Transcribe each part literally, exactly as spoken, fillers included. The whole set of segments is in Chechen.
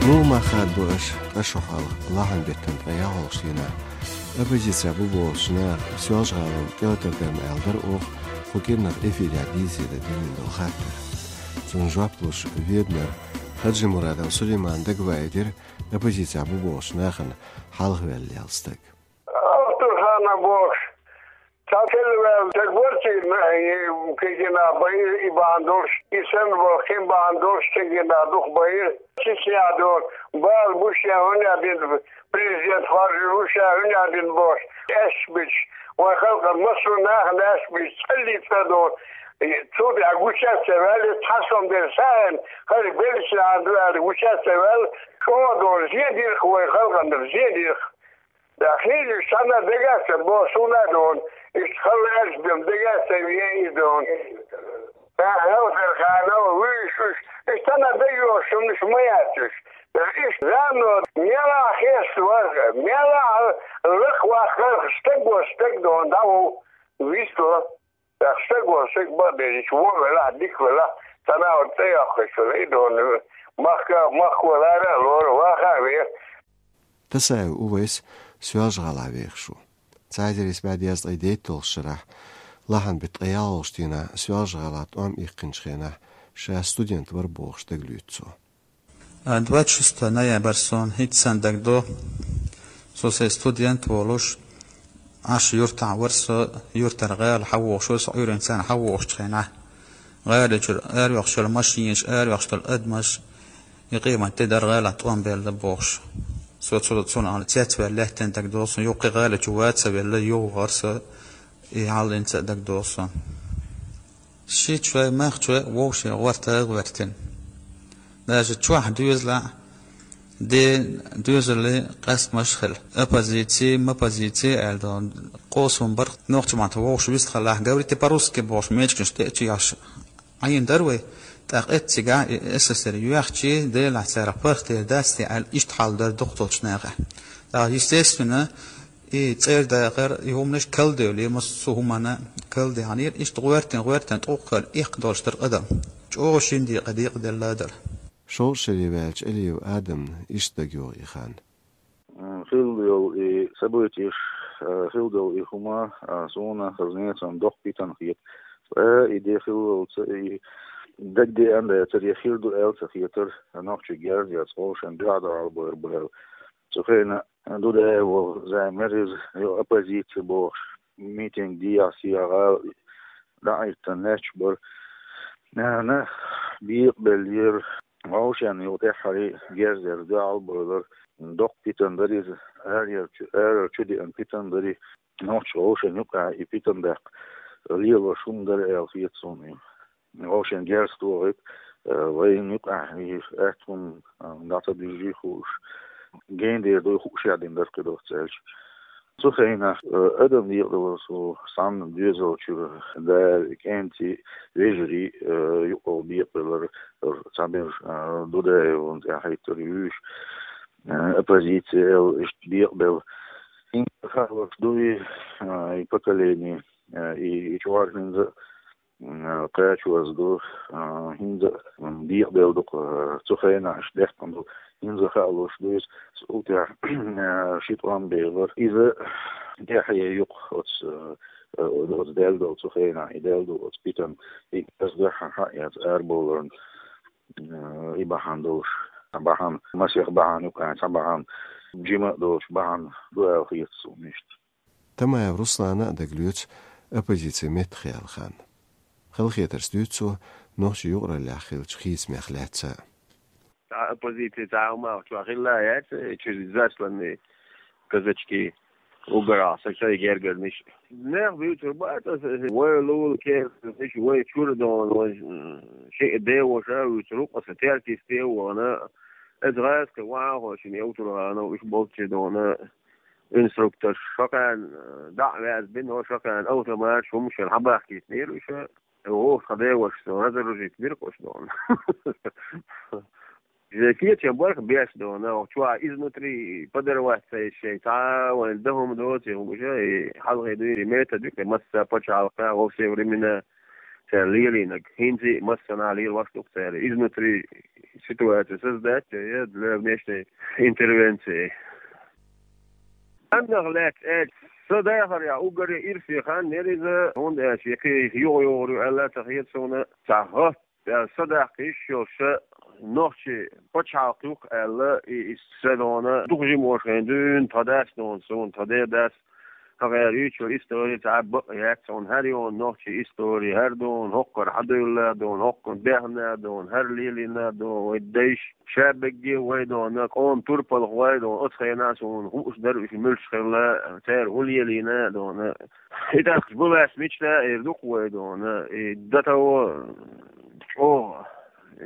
Дугу мах хаддо аша, ткъа шо хьалха лахьан беттан ткъе ялхалгӀачу дийнахь оппозицехь бу бохучу наха Соьлжа-ГӀалин тӀелатар дарна аьлла дара оха, кху кӀирнах эфирехь дийцаре динна долу хаттар. Цунна жоп луш Веданара Хаджимурадов Сулеймана дагаваийтира оппозицехь бу бохучу нахана хьалхаваьлла лелла стаг. Алтурханов бохуш, цхьа хилла ваьлла стаг вара цигахь, и кегина байира и бахьана долуш, и санна боху кхин бахьана долуш кегина дукха байира. Чечня долу бала бу шен хӀунда дина, президент хоржур ву шен хӀунда дина бохуш, аьшпаш бича, вайн халкъан массо а нахана аьшпаш бича, цӀаллица а долу. Цул тӀаьхьа гучаьрца ваьлла, цхьа сом дерг сагӀина, хӀара беллачу нахана ду аьлла, гучаьрца ваьлла, чӀогӀа долу зен дира-кх вайн халкъана, зен дира-кх. Ткъа хилла уьш цхьанна дагахь а ца бо, суна а дона, иштта хала аьлча дема дагахь а ца веан и дона. ТӀаккха Алтурханов вуьйш уьш, иштта цхьанна дагайогӀуш хӀуманаш ма яц уьш. Ткъа иштта зама мелахь хеста вара, мелахь лакхаваккхара стаг вара, стаг дона дӀаву, вистла. ТӀаккха стаг вара, стаг бакъдерг вон велахь, дика велахь, цхьана а вара цӀе йоккхуш велахь, и дона, махка, махко лара а лору, ваха а веха. Тасаев Увайс Соьлжа-ГӀалахь вехаш ву. Цхьа эзар исс бӀе дезткъе дейтталгӀачу шарахь, лахьан беттан ткъе ялхалгӀачу дийнахь Соьлжа-ГӀалахь тӀом иккхинчу хенахь, ша студент вара бохуш дагалоьцу цо. А, двадцать шестое ноябрь сон хӀинца санна дагадо, со сайн студент волуш, Ӏаш юьртахь вара со, юьртара гӀала хьавогӀуш вара со, Ӏуьйранна царна хьавогӀучу хенахь. ГӀала чуьра араваьхча машинаш, араваьхча долу адамаш, и къемат де дара гӀалахь тӀом белла бохуш. Со цу-, цунах цецваьлла лаьттина дагадо, сон юххе гӀала чу ваца а велла, юхавахара со, и хьаллинца а дагадо сон. Шичой, махчой вовшийн гӀортар а гӀоьртина. Даже чохь доьзалехь де доьзаллин къастамаш а хилла. Оппозици, моппозици аьлла долу къовсам бара. Нохчийн маттахь вовшах вистхилахь, говорите по-русски бохуш, мечигаш тӀе а чуяхьаш Ӏийна дара вай. ТӀаккха эццигахь и СССР йоьхча, делахь царах паргӀатдер дац те аьлла, иштта хьал дара дукхачу нахехь. ТӀаккха, естественно, и цӀера дакъара, и хӀуманаш калдевлира, массо а хӀуманна калдехьанера, иштта гӀоьртина, гӀоьртина тӀулг хилла иккха долуш дара адам. ЧӀогӀа шина декъе декъаделла дара. Шовзткъа шаре ваьлча Алиев Адамна иштта дагайогӀу и хан. М, хилла йолу и событияш, а, хилла долу и хӀума, а, суна хаза несан доккха питана хета. Ткъа и де хиллалца и дагадеана дацара, я хир ду аьлла ца хетара, нохчий герз яц, вовшийн дуьхьа догӀалбойр бу аьлла. Цу хенахь Дудаев волу зама яра иза, йо, оппозици бохуш, митинг дехьа-сехьа гӀала дӀахӀиттина лаьтташ бара. Нана бекъабеллера, вовшийн юкъа тӀаьххьара герзера дуьхьалбойлар, доккха питана дара иза, арара чу, арара чу деана питана дара и, нохчаша вовшийн юкъахь и питана даккха лелош хӀума дара аьлла хета суна и. Вовшийн герз тохийта, э, вайна юкъахь и атта хӀума, э, дӀа ца дуьжий хууш, гена дер дуй хууш яздина дара кхидолчу аьлча. Цу хенахь, э, адам декъадалар со санна доьзал чуьра, да, кӀентий, вежарий, э, юкъа бекъабелар, э, цхьаберш, э, Дудаевна тӀе хьайттара вуьйш, э, оппозици аьлла, иштта бекъабелла. ХӀинца хаалуш дуй, э, и поколение, э, и, и чкъор хӀинца а, м, кхачоз ду, а, хӀинца а, м, декъабелла ду-кх, а, цу хенахь аша дехкъана ду. ХӀинца а хаалуш ду иза, цул тӀаьхьа, а, ши тӀом белар. Иза тӀаьхье ю-кх оцу, а, а, оцу даьлла долу цу хенахь, и даьлла долу оцу питана, и ас дуьххьара хьаэца арабовларна, а, и бахьана долуш, бахьана, масех бахьана ю-кх, цхьа бахьана, жима а долуш бахьана ду аьлла хета суна иштта. Тамаев Руслана а дагалоьцу оппозицин меттахъяла хан. Халахетарца дуьйцу цо нохчийн юкъараллехь хиллачу хийцамех лаьцна. Цхьа оппозици цхьа а хӀума чохь хилла яц, чуьра засланный казачки угорах, са шайн гергарниш. Нехан вуьйцур бац аса, вай лулахь кертаниш, вай чуьра дона, вай, м, шиъ деваша вуьйцур ву-кх аса, теркисте а вахана. Иза гӀазкхи вахьа а хо шина Евтурханов, уьш болччи дона. Инструкторш шо кхаьна, э, дӀа а ваьзна бина, шо кхаьна автоматаш хӀумаш шайна хьабахкийтинера уьш, э, вовшах девашца разоружить бира-кх уьш дона. Иза кечам барх беш дона, чохь изнутри подорвать ца еш шайн, цхьа а вайн дан хӀума доций хӀумаш, и хьалхе дуьйна метод ю-кх, масса пачхьалкхехь, во все времена цара лелийнарг, хӀинца а массанхьа лелош ду-кх цара, изнутри ситуация создать е для внешней интервенции. Амма лаьцна аьлча, со дахарехь уггаре ирсе хан яра иза, хӀунда аьлча кхин юха-юхара ю аьлла ца хета суна, цхьа хӀотта аьлла, са даккха йиш йолуш нохчийн пачхьалкх ю-кх аьлла, и, и са дона дукха жимош хьайна дуьйна, тхан дас дона суна, тхан ден дас, тхан гӀерийчо истори цхьа а бакъ яц, хьуна хӀара йона нохчийн истори, хӀара дона хӀокхара хьадуьйла дона, хӀокхунна бехна дона, хӀара лелийна дона, вай дайша ша бегге вай дона, къоман турпалхой дона, оцу хенахь суна хууш дара уьш муьлш хилла, цара хӀун лелийна дона. И тӀаккха бу лаьцна мича эр ду-кх вай дона, и дан таво чӀогӀа,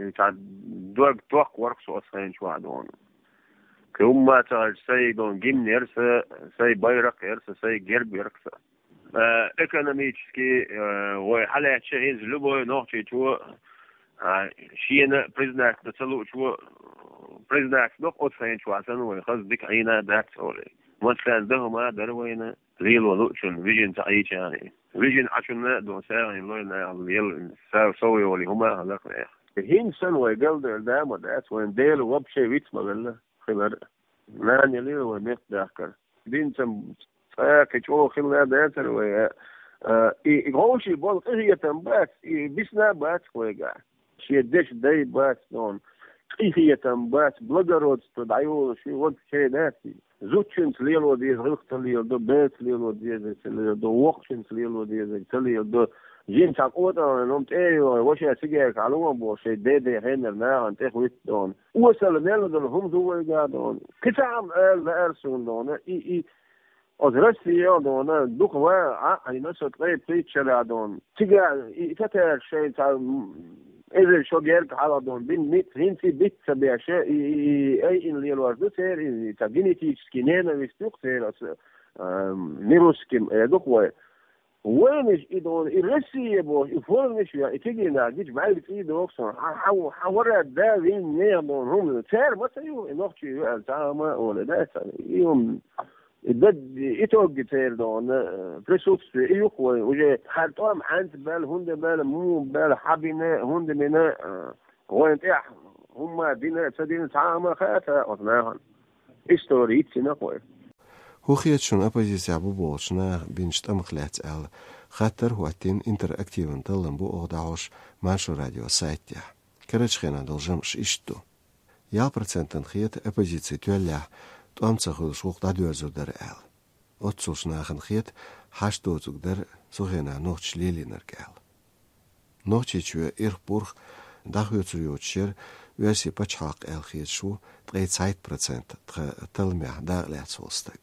и цхьа дог токхаварх со оцу хенчохь дона. Кхин хӀумма ца хилча, сай дона гимн яра сан, сай байракх яра сан, сай герб яра сан. Э, экономически, э, вай хьалаьцча хӀинца любой нохчичо, а, шена признаться ца луучо, признаться до-кх оцу хенчохь санна вай хаза дика Ӏийна дац олий. Массарна дан хӀума дара вайна, лело луучунна вижина ца Ӏийча а. Вижина Ӏачунна а дона сагӀина лой нахана лела, са-, сов йолий хӀума а хилла-кх нехан. ХӀинца санна вай галдевлла да а ма дац, вайна Дела вообще виц ма велла хилар. Нана елира вай меттадахкар. Динца цкъа а кхин чӀогӀа хилла дацара вай, а, а, и, и вовшийн болу къинхетам бац, и бисна а бац вайгахь. Шен дешан дай бац дона, къинхетам бац, благородство дӀайолуш ю, вообще дац и. Зудчуьнца лело деза гӀиллакх ца леладо, берца лело деза ца леладо, воккхачуьнца лело деза ца леладо. Жимма цхьа къотӀалгӀа хӀума тӀе а йогӀий, ваша цигаьрка хьалуо боху шайн ден-ден хеннара нахана тӀе хӀуьтту дона. Осала мел долу хӀума ду вайгахь дона. Кхин цхьа хӀума ала лаьара суна дона. И, и, оцу Россия дона, дукха ван Ӏа а Ӏийна со ткъе пхийтта шарахь дона. Цигахь и татараш шайн цхьа, м, эзар шо герга хьалха дона, бина ницкъ хӀинца а биц ца беш, и, и, и айина лелош ду церан, и, и цхьа генетический ненависть ю-кх церан оцу, а, не русским, э, ду-кх вай. Вайнаш и дона, и Россия боху, и формаш а, и кегий нах гича бӀаьрга цӀий доху суна. Хьан, хьан, хьан вара да вин нехан дона хӀума. Цара ма ца ю, и нохчий ю аьлла, цхьа а ма а олу, да, цхьа, и хӀума, и даг, и итоги церан дона, э, присутствие, и ю-кх вай. Уже хьан тӀом хьаьнца баьлла, хӀунда баьлла, муха баьлла, хьан бина, хӀунда бина, э, вайна тӀехь хӀумма дина, ца дина, цхьа а ма хаьа оцу нахана. Истори йицйина-кх вай. ХӀун хета шуна оппозицехь бу бохучу наха бинчу тӀамах лаьцна аьлла, хаттар а хӀоттийна интерактиван таллам бу оха дӀахьош Маршо радион сайтехь. Карарчу хенахь долу жамӀаш иштта ду. Ялх процентана хета оппозици тоьллехь, тӀом ца хуьлуш гӀуллакх дӀадоьрзур дара аьлла. Оццулчу нахана хета хьашт доцург дара цу хенахь нохчаша лелийнарг аьлла. Нохчийчоь ирх-бурхх дӀахоьцур йоцуш яра оьрсийн пачхьалкх аьлла хеташ ву ткъе цхьайтта процент тхан талламехь дакъа лаьцна волу стаг.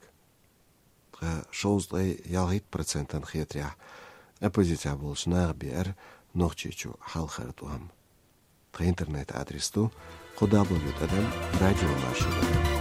Ткъа шовзткъе ялхитта процентана хетарехь, оппозицехь болчу наха беара Нохчийчу хьалхара тӀом. Тхан интернет-адрес ду кхо дабл ю тӀадам радио маршо.